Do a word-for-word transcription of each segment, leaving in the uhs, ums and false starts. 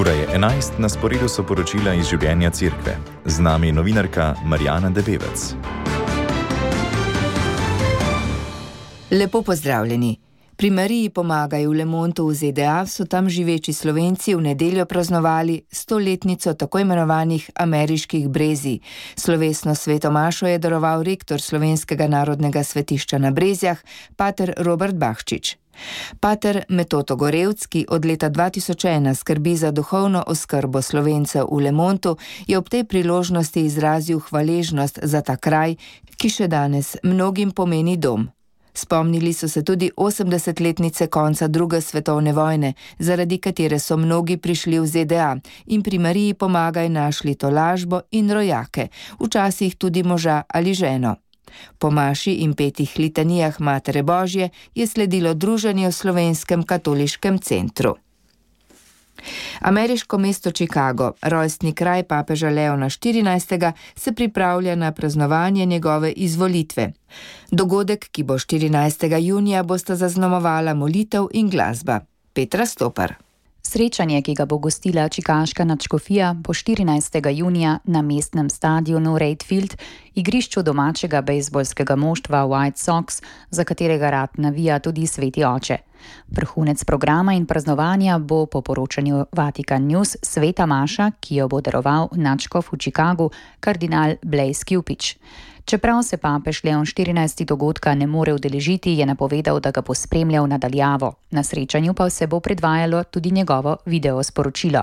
Ura je enajst, na sporedu so poročila iz življenja cerkve. Z nami je novinarka Marjana Debevec. Lepo pozdravljeni. Pri Mariji pomagaj v Le Montu v Z D A so tam živeči Slovenci v nedeljo praznovali stoletnico tako imenovanih ameriških brezij. Slovesno svetomašo je daroval rektor Slovenskega narodnega svetišča na Brezjah, pater Robert Bahčič. Pater Metoto Gorevc, ki od leta dva tisoč ena skrbi za duhovno oskrbo Slovencev v Le Montu, je ob tej priložnosti izrazil hvaležnost za ta kraj, ki še danes mnogim pomeni dom. Spomnili so se tudi osemdesetletnice konca druge svetovne vojne, zaradi katere so mnogi prišli v Z D A in pri Mariji pomagaj našli tolažbo in rojake, včasih tudi moža ali ženo. Po maši in petih litanijah Matere Božje je sledilo druženje v Slovenskem katoliškem centru. Ameriško mesto Chicago, rojstni kraj papeža Leona štirinajstega, se pripravlja na praznovanje njegove izvolitve. Dogodek, ki bo štirinajstega junija, bosta zaznamovala molitev in glasba. Petra Stopar. Srečanje, ki ga bo gostila čikaška nadškofija, bo štirinajstega junija na mestnem stadionu Reid Field, igrišču domačega bejzbolskega moštva White Sox, za katerega rad navija tudi sveti oče. Vrhunec programa in praznovanja bo po poročanju Vatican News sveta maša, ki jo bo daroval nadškof v Chicagu, kardinal Blaise Cupich. Čeprav se papež Leon štirinajsti dogodka ne more udeležiti, je napovedal, da ga bo spremljal nadaljavo. Na srečanju pa se bo predvajalo tudi njegovo video sporočilo.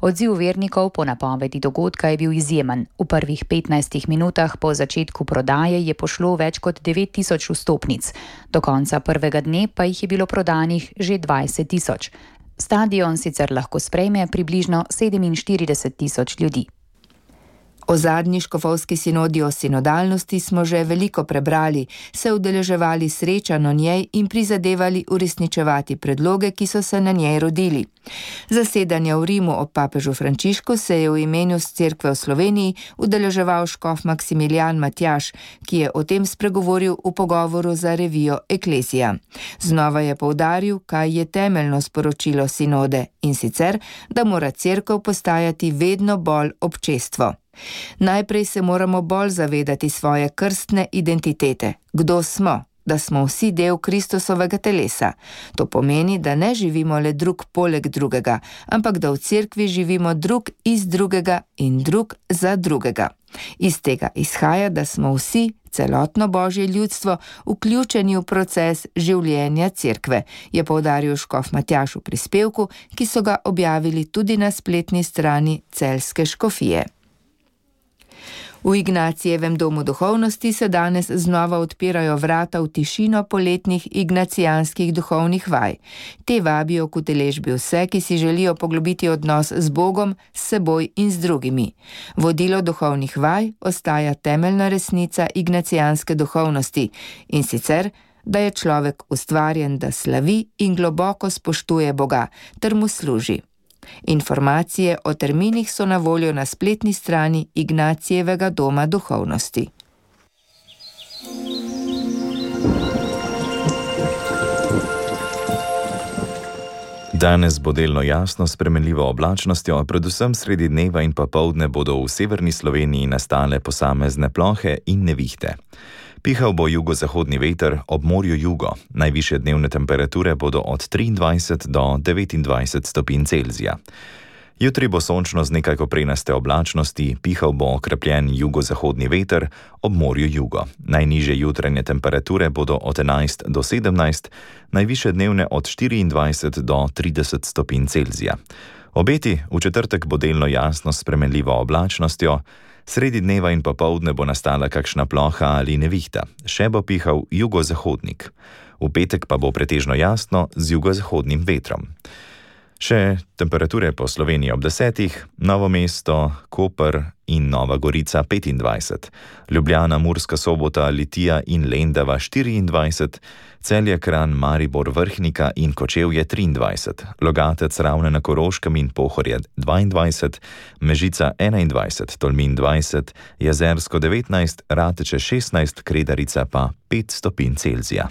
Odziv vernikov po napovedi dogodka je bil izjemen. V prvih petnajstih minutah po začetku prodaje je pošlo več kot devet tisoč vstopnic. Do konca prvega dne pa jih je bilo prodanih že dvajset tisoč. Stadion sicer lahko sprejme približno sedeminštirideset tisoč ljudi. O zadnji škofovski sinodi o sinodalnosti smo že veliko prebrali, se udeleževali srečanj o njej in prizadevali uresničevati predloge, ki so se na njej rodili. Zasedanja v Rimu ob papežu Frančišku se je v imenu cerkve v Sloveniji udeleževal škof Maksimilijan Matjaž, ki je o tem spregovoril v pogovoru za revijo Eklezija. Znova je poudaril, kaj je temeljno sporočilo sinode, in sicer, da mora cerkev postajati vedno bolj občestvo. Najprej se moramo bolj zavedati svoje krstne identitete. Kdo smo? Da smo vsi del Kristusovega telesa. To pomeni, da ne živimo le drug poleg drugega, ampak da v cerkvi živimo drug iz drugega in drug za drugega. Iz tega izhaja, da smo vsi, celotno Božje ljudstvo, vključeni v proces življenja cerkve, je poudaril škof Matjaž v prispevku, ki so ga objavili tudi na spletni strani Celjske škofije. V Ignacijevem domu duhovnosti se danes znova odpirajo vrata v tišino poletnih ignacijanskih duhovnih vaj. Te vabijo k udeležbi vse, ki si želijo poglobiti odnos z Bogom, s seboj in z drugimi. Vodilo duhovnih vaj ostaja temeljna resnica ignacijanske duhovnosti, in sicer, da je človek ustvarjen, da slavi in globoko spoštuje Boga, ter mu služi. Informacije o terminih so na voljo na spletni strani Ignacijevega doma duhovnosti. Danes bo delno jasno s spremenljivo oblačnostjo, predvsem sredi dneva in popoldne bodo v severni Sloveniji nastale posamezne plohe in nevihte. Pihal bo jugozahodni veter, ob morju jugo. Najvišje dnevne temperature bodo od triindvajset do devetindvajset stopinj Celzija. Jutri bo sončno z nekaj koprenaste oblačnosti, pihal bo okrepljen jugozahodni veter, ob morju jugo. Najnižje jutranje temperature bodo od enajst do sedemnajst, najvišje dnevne od štiriindvajset do trideset stopinj Celzija. Obeti: v četrtek bo delno jasno s spremenljivo oblačnostjo, sredi dneva in popoldne bo nastala kakšna ploha ali nevihta, še bo pihal jugozahodnik. V petek pa bo pretežno jasno z jugozahodnim vetrom. Še temperature po Sloveniji ob desetih: Novo mesto, Koper in Nova Gorica petindvajset, Ljubljana, Murska Sobota, Litija in Lendava štiriindvajset, Celje, Kranj, Maribor, Vrhnika in Kočevje triindvajset, Logatec, Ravne na Koroškem in Pohorje dvaindvajset, Mežica enaindvajset, Tolmin dvajset, Jezersko devetnajst, Rateče šestnajst, Kredarica pa pet stopinj Celzija.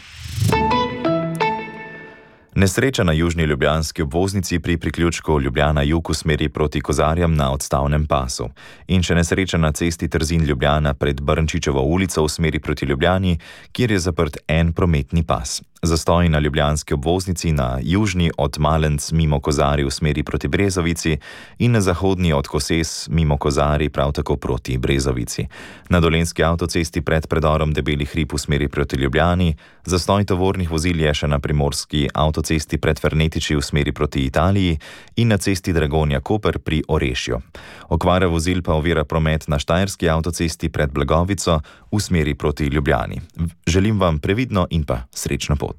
Nesreča na južni ljubljanski obvoznici pri priključku Ljubljana jug v smeri proti Kozarjam na odstavnem pasu. In še nesreča na cesti Trzin Ljubljana pred Brnčičevo ulico v smeri proti Ljubljani, kjer je zaprt en prometni pas. Zastoj na ljubljanski obvoznici na južni od Malenc mimo Kozarij v smeri proti Brezovici in na zahodni od Koses mimo Kozarij prav tako proti Brezovici. Na dolenjski avtocesti pred predorom Debeli hrib v smeri proti Ljubljani, zastoj tovornih vozil je še na primorski avtocesti pred Fernetiči v smeri proti Italiji in na cesti Dragonja-Koper pri Orešju. Okvara vozil pa ovira promet na štajerski avtocesti pred Blagovico v smeri proti Ljubljani. Želim vam previdno in pa srečno pot.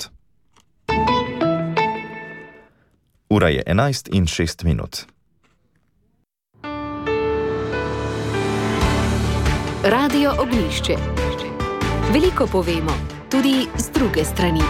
Ura je enajst in šest minut. Radio Ognjišče. Veliko povemo, tudi z druge strani.